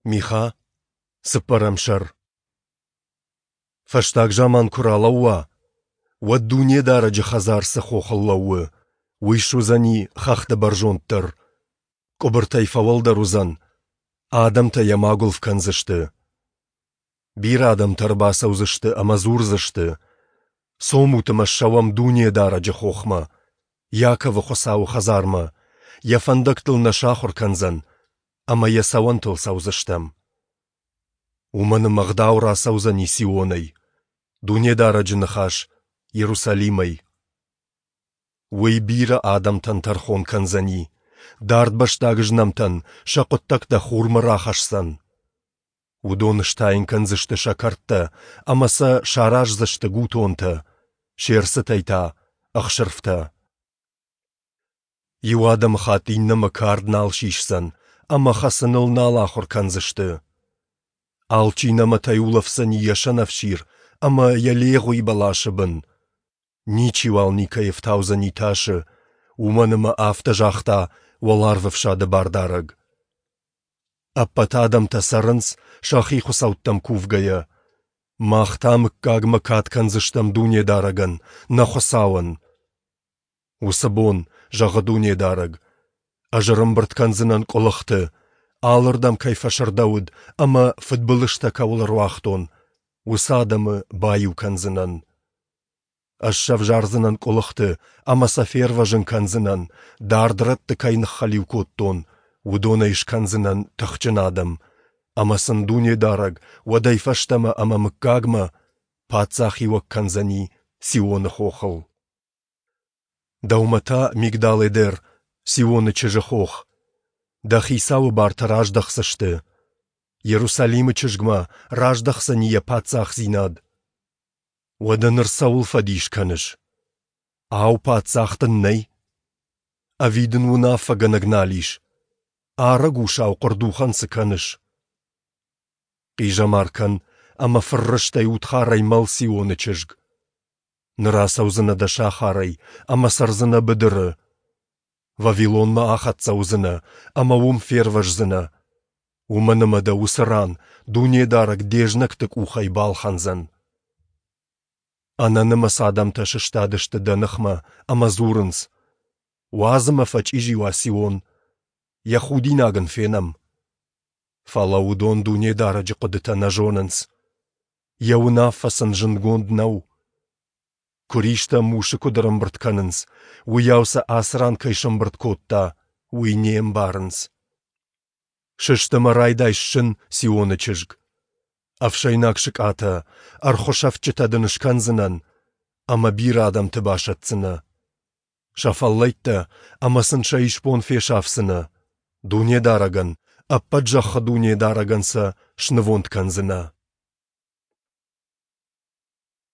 Миха, цыппӕрӕм сӕр. Фӕстаг заман куы ралӕууа, уӕд Дунедарӕджы хӕдзар цы хохыл лӕууы, уый суыдзӕни хӕхты бӕрзонддӕр, къуыбыртӕй фӕуӕлдӕр уыдзӕн, адӕмтӕ йӕм агуылф кӕндзысты. Бирӕ адӕмтӕ ӕрбацӕудзысты ӕмӕ дзурдзысты: «Цомут ӕмӕ ссӕуӕм Дунедарӕджы хохмӕ, Иаковы Хуыцауы хӕдзармӕ, йӕ фӕндӕгтыл нӕ сахуыр кӕндзӕн, ӕмӕ йӕ цӕуӕнтыл цӕудзыстӕм». Уымӕн ӕмӕ ӕгъдау рацӕудзӕни Сионӕй, Дунедарӕджы ныхас Иерусалимӕй. Уый бирӕ адӕмтӕн тӕрхон кӕндзӕни, дардбӕстаг знӕмтӕн сӕ хъуыддӕгтӕ хурмӕ рахӕсдзӕн. Уыдон стайын кӕндзысты сӕ кӕрдтӕ ӕмӕ сӕ сараздзысты гутонтӕ, се рцытӕй та ӕхсырфтӕ. Иу адӕмыхатт иннӕмӕ кард нал сисдзӕн ӕмӕ хӕцыныл нал ахуыр кӕндзысты. Алчи нӕмӕтӕй улӕфдзӕни йӕ сӕнӕфсир ӕмӕ йӕ легъуи бӕласы бын. Ничиуал никӕй ӕфтаудзӕни тасы, уымӕн ӕмӕ афтӕ загъта Уӕларвӕфсады Бардарӕг. Ӕппӕт адӕмтӕ цӕрынц сӕхи хуыцӕуттӕм кувгӕйӕ. Мах та мыггагмӕ кад кӕндзыстӕм Дунедарӕгӕн, нӕ Хуыцауӕн. Уыцы бон, зӕгъы Дунедарӕг, ӕз ӕрӕмбырд кӕндзынӕн къуылыхты, алырдӕм кӕй фӕсырдӕуыд ӕмӕ фыдбылызтӕ кӕуыл ӕруагътон, уыцы адӕмы баиу кӕндзынӕн. Ӕз сӕвзардзынӕн къуылыхты ӕмӕ сӕ фервӕзын кӕндзынӕн, дард рӕтты кӕй ныххӕлиу кодтон, уыдонӕй скӕндзынӕн тыхджын адӕм, ӕмӕ сын Дунедарӕг уӕдӕй фӕстӕмӕ ӕмӕ мыггагмӕ паддзахиуӕг кӕндзӕни Сионы хохыл. Дӕумӕ та, Мигдал-Эдер, Сионы чызджы хох, дӕ хицауы бартӕ раздӕхдзысты. Иерусалимы чызгмӕ раздӕхдзӕни йӕ паддзахдзинад. Уӕдӕ ныр цӕуыл фӕдис кӕныс? Ау, паддзах дын нӕй? Ӕви дын уынаффӕгӕнӕг нал ис? Арӕг усау хъуырдухӕн цы кӕныс? Хъизӕмар кӕн ӕмӕ фыррыстӕй удхарӕй мӕл Сионы чызг. Ныр ацӕудзынӕ дӕ сахарӕй ӕмӕ цӕрдзынӕ быдыры. Вавилонмӕ ахӕццӕ уыдзынӕ ӕмӕ уым фервӕздзынӕ, уымӕн ӕмӕ дӕ уыцы ран Дунедарӕг де знӕгты къухӕй балхӕндзӕн. Ӕнӕнымӕц адӕмтӕ сыстадысты дӕ ныхмӕ ӕмӕ дзурынц: «Уадз ӕмӕ фӕчъизи уа Сион, йӕ худинаг ын фенӕм». Фӕлӕ уыдон Дунедарӕджы хъуыдытӕ нӕ зонынц. Йӕ уынаффӕ сын зындгонд нӕу. Куыристӕ мусы куыд ӕрӕмбырд кӕнынц, уыйау сӕ ацы ран кӕй сӕмбырд кодта, уый не мбарынц. Сыст ӕмӕ райдай ссын, Сионы чызг. Ӕфсӕйнаг сыкъатӕ, ӕрхуы сӕфтджытӕ дын скӕндзынӕн, ӕмӕ бирӕ адӕмты басӕтдзынӕ. Сӕ фӕллӕйттӕ ӕмӕ сын сӕ исбон фесафдзынӕ. Дунедарӕгӕн, ӕппӕт зӕххы Дунедарӕгӕн сӕ снывонд кӕндзынӕ.